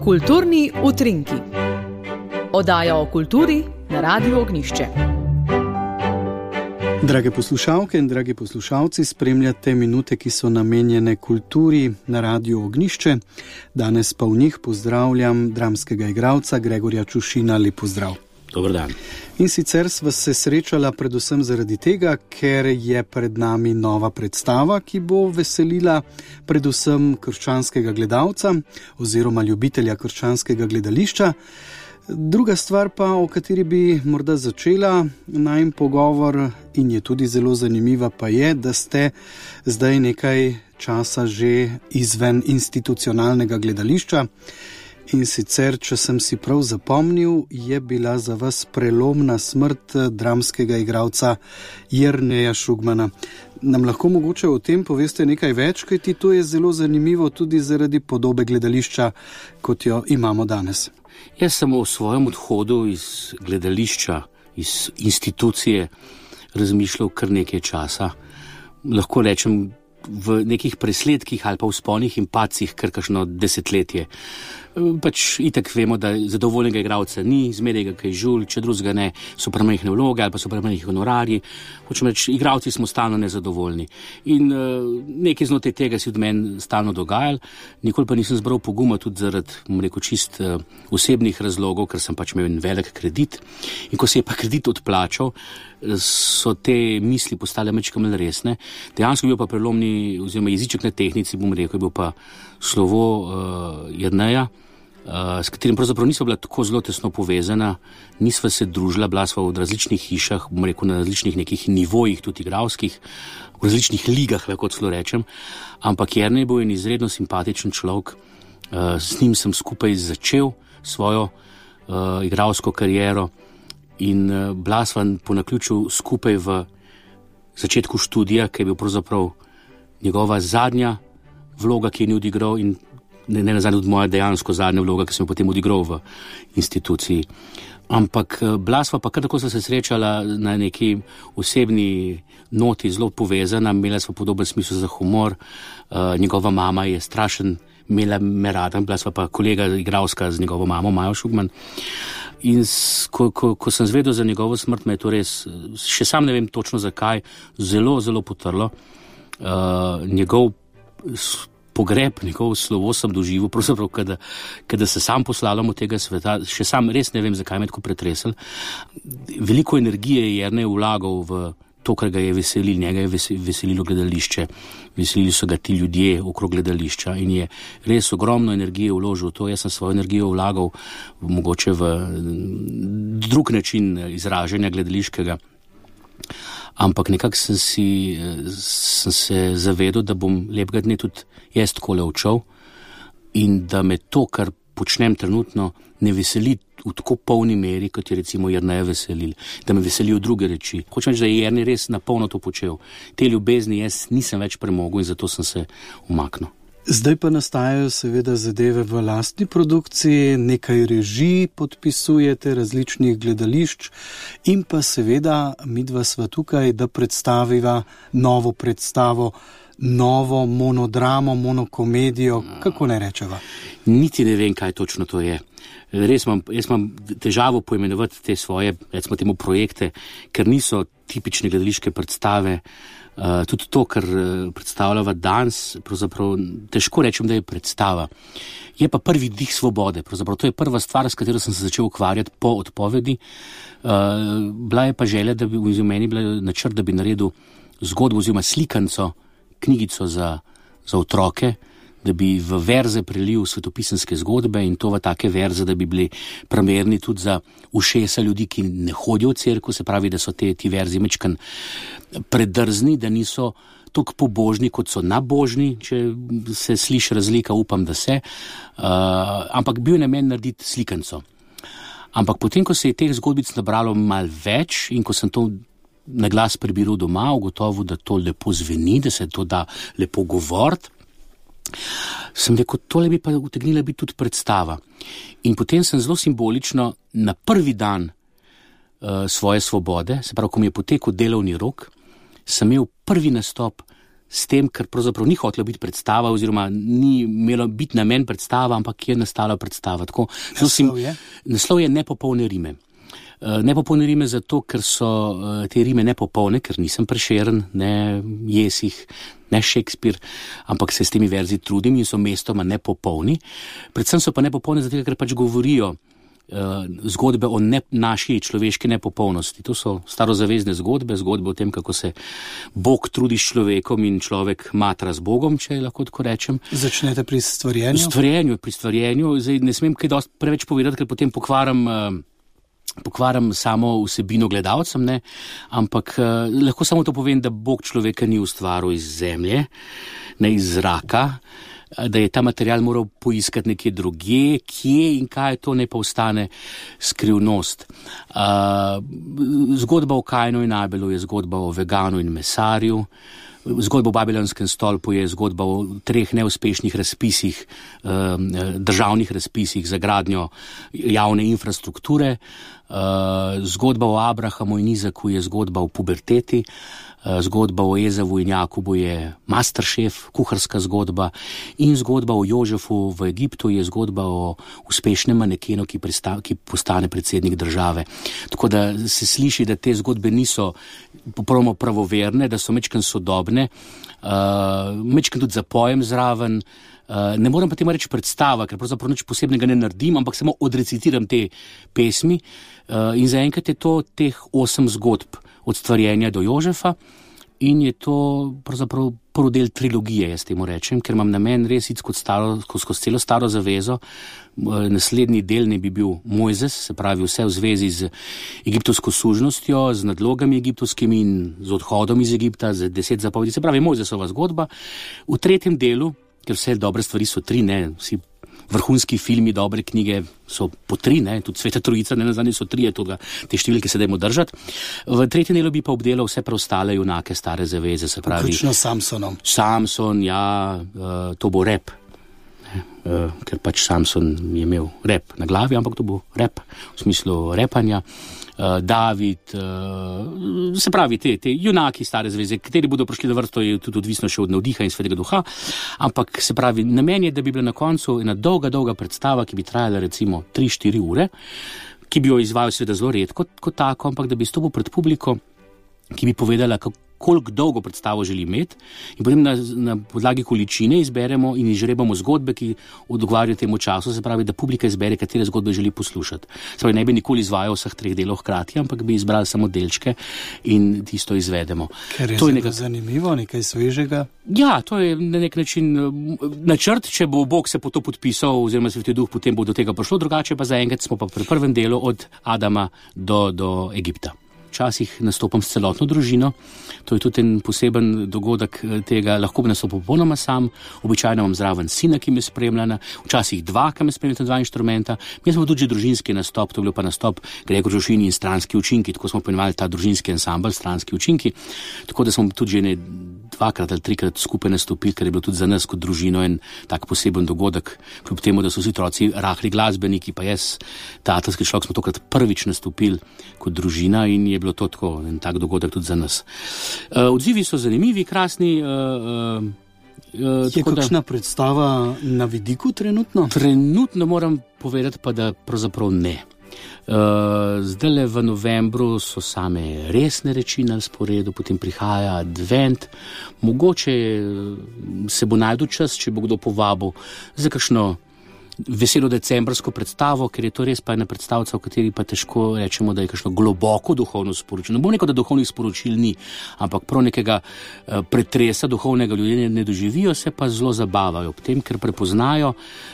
Kulturni utrinki. Oddaja o kulturi na Radiu Ognjišče. Drage poslušalke in dragi poslušalci, spremljate minute, ki so namenjene kulturi na Radiu Ognjišče. Danes pa v njih pozdravljam dramskega igralca Gregorja Čušina. Lep pozdrav. Dober dan. In sicer sva se srečala predvsem zaradi tega, ker je pred nami nova predstava, ki bo veselila predvsem krščanskega gledalca oziroma ljubitelja krščanskega gledališča. Druga stvar pa, o kateri bi morda začela najin pogovor in je tudi zelo zanimiva, pa je, da ste zdaj nekaj časa že izven institucionalnega gledališča. In sicer, če sem si prav zapomnil, je bila za vas prelomna smrt dramskega igralca Jerneja Šugmana. Nam lahko mogoče o tem poveste nekaj več, kajti to je zelo zanimivo tudi zaradi podobe gledališča, kot jo imamo danes. Jaz sem o svojem odhodu iz gledališča, iz institucije razmišljal kar nekaj časa. Lahko rečem v nekih presledkih ali pa vzponih in padcih kar kakšno desetletje. Pač itak vemo, da zadovoljnega igralca ni, zmeraj ga kaj žul, če drugega ne, so premajhne vloge ali pa so premajhni honorarji. Hočem reči, igralci smo stalno nezadovoljni. In nekaj znotraj tega si od meni stalno dogajal, nikoli pa nisem zbral poguma tudi zaradi, čist osebnih razlogov, ker sem pač imel en velik kredit. In ko se je pa kredit odplačal, so te misli postale mečkam resne. Dejansko je bil pa prelomni, oziroma jeziček na tehnici, je bil pa slovo Jerneja, s katerim pravzaprav nisva bila tako zelo tesno povezana, nisva se družila, bila sva v različnih hišah, na različnih nekih nivojih, tudi igralskih, v različnih ligah, lahko celo rečem, ampak Jernej je bil en izredno simpatičen človek, s njim sem skupaj začel svojo igralsko kariero in bila sva po naključju skupaj v začetku študija, ki je bil pravzaprav njegova zadnja vloga, ki je ni odigral in ne nazadnje tudi moja dejansko zadnja vloga, ki sem jo potem odigral v instituciji. Ampak bila sva pa kar tako se srečala na neki osebni noti, zelo povezana, imela sva podoben smisel za humor, njegova mama je strašen, imela me rada, bila sva pa kolega igralska z njegovo mamo, Majo Šugman. In ko sem zvedel za njegovo smrt, me je to res, še sam ne vem točno zakaj, zelo, zelo potrlo. Njegov pogreb, njegovo slovo sem doživel, pravzaprav, kada se sam poslavljam od tega sveta, še sam res ne vem, zakaj me tako pretresel. Veliko energije je Jernej vlagal v to, kar ga je veselilo, njega je veselilo gledališče, veselili so ga ti ljudje okrog gledališča in je res ogromno energije vložil v to. Jaz sem svojo energijo vlagal mogoče v drug način izražanja gledališkega. Ampak nekako sem se zavedel, da bom lepega dne tudi jaz takole odšel in da me to, kar počnem trenutno, ne veseli v tako polni meri, kot je recimo Jerneja veselil, da me veselijo druge reči. Hočem reči, da je Jernej res napolno to počel. Te ljubezni jaz nisem več premogel in zato sem se umaknil. Zdaj pa nastajajo seveda zadeve v lastni produkciji, nekaj režij podpisujete, različnih gledališč in pa seveda midva sva tukaj, da predstaviva novo predstavo, novo monodramo, monokomedijo, kako ne rečeva? Niti ne vem, kaj točno to je. Res jaz imam težavo poimenovati te svoje, recimo temu projekte, ker niso tipične gledališke predstave. Tudi to, kar predstavljava danes, pravzaprav težko rečem, da je predstava. Je pa prvi dih svobode, pravzaprav to je prva stvar, s katero sem se začel ukvarjati po odpovedi. Bila je pa želja, da bi v meni bila načrt, da bi naredil zgodbo oziroma slikanco, knjigico za otroke, da bi v verze prelil svetopisanske zgodbe in to v take verze, da bi bili primerni tudi za ušesa ljudi, ki ne hodijo v cerkev, se pravi, da so ti verzi mečkan predrzni, da niso toliko pobožni, kot so nabožni, če se sliši razlika, upam, da se. Ampak bil je namen narediti slikanco. Ampak potem, ko se je teh zgodbic nabralo malo več in ko sem to na glas prebiral doma, ugotovil, da to lepo zveni, da se to da lepo govoriti, sem rekel, tole bi pa utegnila biti tudi predstava. In potem sem zelo simbolično na prvi dan svoje svobode, se pravi, ko mi je potekel delovni rok, sem imel prvi nastop s tem, ker pravzaprav ni hotela biti predstava oziroma ni imelo biti namen predstava, ampak je nastala predstava. Tako, naslov je Nepopolne rime. Nepopolne rime zato, ker so te rime nepopolne, ker nisem Prešeren, ne Jesih, ne Shakespeare, ampak se s temi verzi trudim in so mestoma nepopolni. Predvsem so pa nepopolne zato, ker pač govorijo zgodbe o naši človeški nepopolnosti. To so starozavezne zgodbe o tem, kako se Bog trudi s človekom in človek matra z Bogom, če lahko tako rečem. Začnete pri stvarjenju? Pri stvarjenju. Zdaj ne smem kaj dosti preveč povedati, ker potem pokvaram samo vsebino gledalcem, ne? Ampak lahko samo to povem, da Bog človeka ni ustvaril iz zemlje, ne iz zraka, da je ta material moral poiskati nekje drugje, kje in kaj to ne pa ostane skrivnost. Zgodba o Kainu in Abelu je zgodba o veganu in mesarju. Zgodba o Babilonskem stolpu je zgodba o 3 neuspešnih razpisih, državnih razpisih za gradnjo javne infrastrukture. Zgodba o Abrahamu in Izaku je zgodba o puberteti. Zgodba o Ezavu in Jakobu je Masterchef, kuharska zgodba, in zgodba o Jožefu v Egiptu je zgodba o uspešnem manekenu, ki postane predsednik države. Tako da se sliši, da te zgodbe niso popolnoma pravoverne, da so mečken sodobne, mečken tudi zapojem zraven. Ne moram pa temu reči predstava, ker pravzaprav nič posebnega ne naredim, ampak samo odrecitiram te pesmi, in zaenkrat je to teh 8 zgodb od stvarjenja do Jožefa in je to pravzaprav prvi del trilogije, jaz temu rečem, ker imam namen res iti skozi celo staro zavezo. Naslednji del ne bi bil Mojzes, se pravi vse v zvezi z egiptovsko sužnostjo, z nadlogami egiptovskimi in z odhodom iz Egipta, z 10 zapovedi, se pravi Mojzesova zgodba. V tretjem delu, ker vse dobre stvari so 3, ne, vsi vrhunski filmi, dobre knjige so po 3, ne, tudi Sveta Trojica, ne nazadnje so 3, te številke se dajmo držati. V tretjem delu bi pa obdelal vse preostale junake stare zaveze, se pravi. Vključno s Samsonom. Samson, ja, to bo rep, ker pač Samson je imel rep na glavi, ampak to bo rep v smislu repanja. David, se pravi te junaki stare zveze, kateri bodo prišli na vrsto, je tudi odvisno še od navdiha in Svetega Duha, ampak se pravi, namen je, da bi bila na koncu ena dolga predstava, ki bi trajala recimo 3-4 ure, ki bi jo izvajal seveda zelo redko kot tako, ampak da bi stopil pred publiko, ki bi povedala, koliko dolgo predstavo želi imeti, in potem na podlagi količine izberemo in izžrebamo zgodbe, ki odgovarjajo temu času, se pravi, da publika izbere, katere zgodbe želi poslušati. Se pravi, ne bi nikoli izvajal vseh 3 delov hkrati, ampak bi izbrali samo delčke in tisto izvedemo. Ker je zelo zanimivo, nekaj svežega. Ja, to je na nek način načrt, če bo Bog se po to podpisal, oziroma Sveti Duh, potem bo do tega prišlo, drugače pa zaenkrat smo pa pri prvem delu od Adama do Egipta. Včasih nastopam s celotno družino, to je tudi en poseben dogodek tega, lahko bi nastopil popolnoma sam, običajno imam zraven sina, ki me spremlja, včasih 2, ki me spremljata, 2 inštrumenta. Mi smo tudi že družinski nastop, to je bil pa nastop Gregor Žužin in stranski učinki, tako smo poimenovali ta družinski ansambl, stranski učinki, tako da smo tudi že 2-krat ali 3-krat skupaj nastopili, ker je bilo tudi za nas kot družino en tak poseben dogodek, kljub temu, da so vsi otroci rahli glasbeniki, pa jaz, tatarski človek, smo tokrat prvič nastopili kot družina in je bilo to tako en tak dogodek tudi za nas. Odzivi so zanimivi, krasni. Je kakšna predstava na vidiku trenutno? Trenutno moram povedati pa, da pravzaprav ne. Zdajle v novembru so same resne reči na sporedu, potem prihaja advent, mogoče se bo najdel čas, če bo kdo povabil za kakšno veselo decembrsko predstavo, ker je to res pa ena predstavca, v kateri pa težko rečemo, da je kakšno globoko duhovno sporočilo. Ne bo neko, da duhovnih sporočil ni, ampak prav nekega pretresa duhovnega ljudje ne doživijo, se pa zelo zabavajo ob tem, ker prepoznajo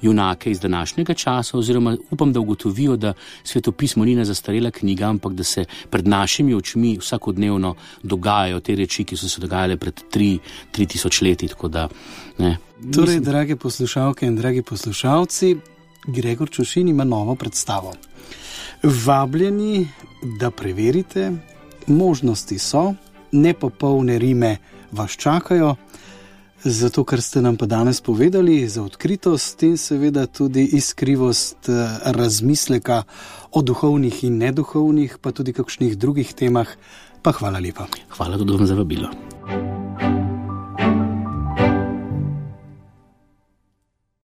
junake iz današnjega časa, oziroma upam, da ugotovijo, da svetopismo ni zastarela knjiga, ampak da se pred našimi očmi vsakodnevno dogajajo te reči, ki so se dogajale pred 3000 leti, tako da ne. Torej, drage poslušalke in dragi poslušalci, Gregor Čušin ima novo predstavo. Vabljeni, da preverite, možnosti so, nepopolne rime vas čakajo, zato ker ste nam pa danes povedali za odkritost in seveda tudi iskrivost razmisleka o duhovnih in neduhovnih, pa tudi kakšnih drugih temah. Pa hvala lepa. Hvala tudi vam za vabilo.